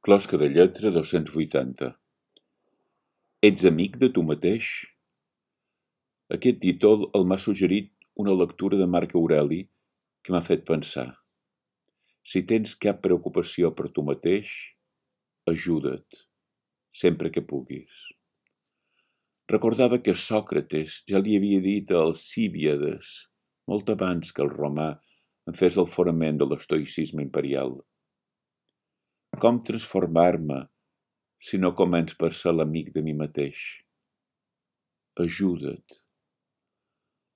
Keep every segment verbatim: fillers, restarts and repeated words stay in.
Closca de lletra dos-cents vuitanta. Ets amic de tu mateix? Aquest títol el m'ha suggerit una lectura de Marc Aureli que m'ha fet pensar. Si tens cap preocupació per tu mateix, ajuda't, sempre que puguis. Recordava que Sòcrates ja li havia dit a Alcíbiades, molt abans que el romà en fes el fonament de l'estoïcisme imperial. Com transformar-me si no començ per ser l'amic de mi mateix? Ajuda't.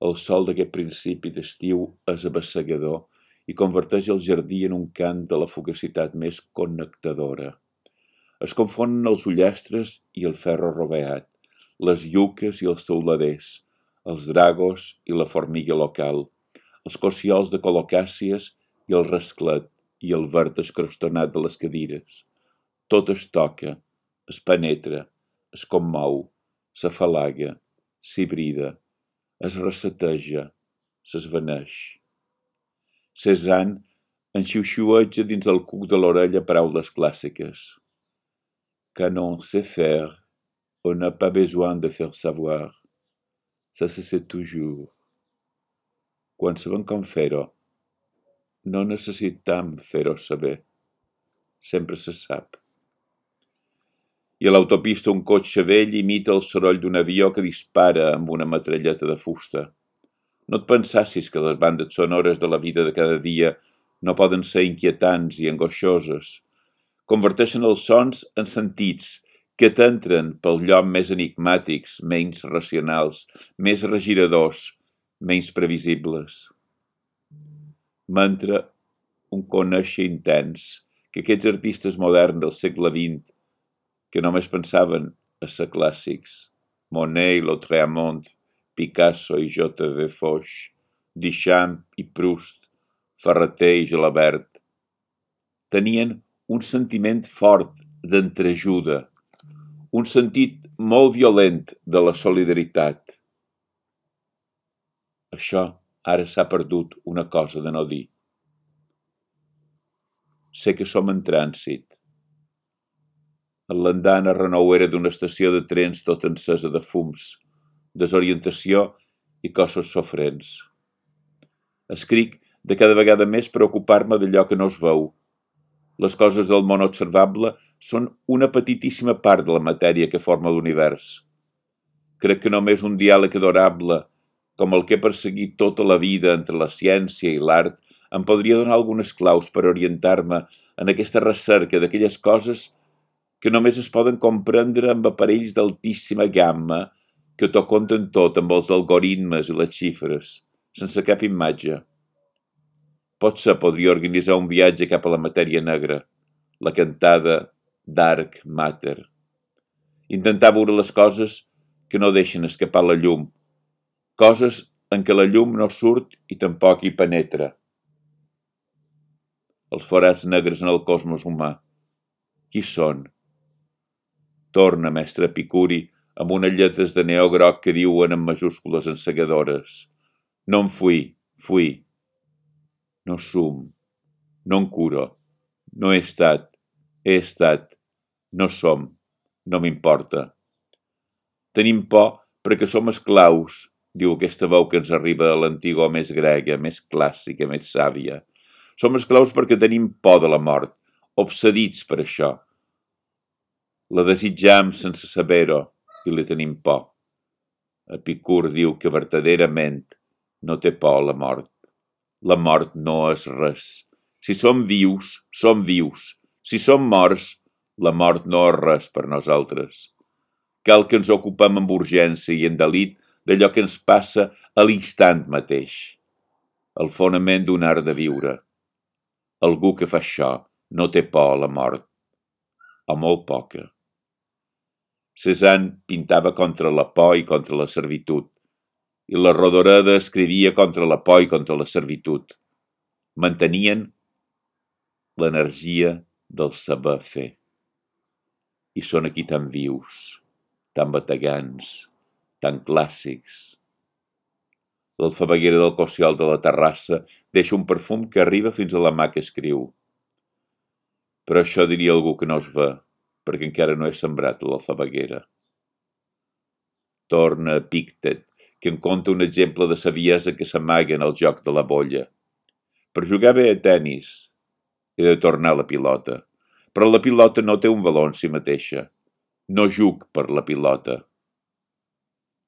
El sol d'aquest principi d'estiu és abassegador i converteix el jardí en un cant de la fugacitat més connectadora. Es confonen els ullastres i el ferro roveat, les lluques i els teuladers, els dragos i la formiga local, els cociols de colocàcies i el rasclet i el verd escrostonat de les cadires. Tot es toca, es penetra, es commou, s'afalaga, s'hibrida, es reseteja, s'esvaneix. Cézanne enxiuxiueja dins el cuc de l'orella paraules clàssiques. Quand on sait faire, on n'a pas besoin de faire savoir. Ça se sait toujours. Quan sabem com fer-ho, no necessitam fer-ho saber. Sempre se sap. I a l'autopista un cotxe vell imita el soroll d'un avió que dispara amb una metralleta de fusta. No et pensassis que les bandes sonores de la vida de cada dia no poden ser inquietants i angoixoses. Converteixen els sons en sentits que t'entren pel lloc més enigmàtics, menys racionals, més regiradors, menys previsibles. M'entra un conèixer intens que aquests artistes moderns del segle vint, que només pensaven a ser clàssics, Monet i Lautréamont, Picasso i J V Foix, Duchamp i Proust, Ferrater i Gelabert, tenien un sentiment fort d'entreajuda, un sentit molt violent de la solidaritat. Això ara s'ha perdut una cosa de no dir. Sé que som en trànsit. L'andana renouera d'una estació de trens tot encesa de fums, desorientació i cossos sofrents. Escric de cada vegada més preocupar-me d'allò que no es veu. Les coses del món observable són una petitíssima part de la matèria que forma l'univers. Crec que només un diàleg adorable, com el que he perseguit tota la vida entre la ciència i l'art, em podria donar algunes claus per orientar-me en aquesta recerca d'aquelles coses que només es poden comprendre amb aparells d'altíssima gamma que t'ho conten tot amb els algoritmes i les xifres, sense cap imatge. Potser podria organitzar un viatge cap a la matèria negra, la cantada Dark Matter. Intentar veure les coses que no deixen escapar la llum, coses en què la llum no surt i tampoc hi penetra. Els forats negres en el cosmos humà. Qui són? Torna, mestre Epicuri, amb unes lletres de neó groc que diuen en majúscules encegadores. No em fui, fui. No sum, no em curo, no he estat, he estat, no som, no m'importa. Tenim por perquè som esclaus, diu aquesta veu que ens arriba de l'antiga més grega, més clàssica, més sàvia. Som esclaus perquè tenim por de la mort, obsedits per això. La desitjam sense saber-ho i li tenim por. Epicur diu que verdaderament no té por a la mort. La mort no és res. Si som vius, som vius. Si som morts, la mort no és res per nosaltres. Cal que ens ocupem amb urgència i en delit d'allò que ens passa a l'instant mateix. El fonament d'un art de viure. Algú que fa això no té por a la mort. O molt poca. Cézanne pintava contra la por i contra la servitud, i la Rodoreda escrivia contra la por i contra la servitud. Mantenien l'energia del saber fer. I són aquí tan vius, tan bategants, tan clàssics. L'alfabeguera del cossiol de la terrassa deixa un perfum que arriba fins a la mà que escriu. però això diria algú que no es ve, perquè encara no he sembrat l'alfabeguera. Torna a Epíctet, que em conta un exemple de saviesa que s'amaga en el joc de la bolla. Per jugar bé a tennis he de tornar la pilota, però la pilota no té un valor en si mateixa. No juc per la pilota.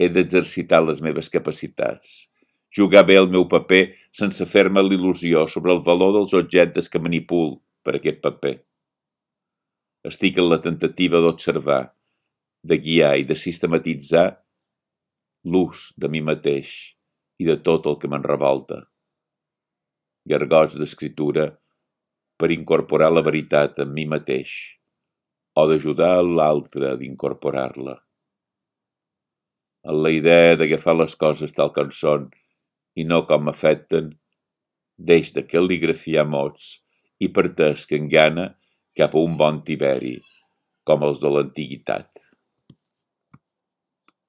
He d'exercitar les meves capacitats, jugar bé el meu paper sense fer-me l'il·lusió sobre el valor dels objectes que manipul per aquest paper. Estic en la tentativa d'observar, de guiar i de sistematitzar l'ús de mi mateix i de tot el que me'n revolta. Gargots d'escriptura per incorporar la veritat en mi mateix o d'ajudar l'altre a d'incorporar-la. En la idea d'agafar les coses tal com són i no com afecten, deix de cal·ligrafiar mots i parteix que engana cap a un bon tiberi, com els de l'antiguitat.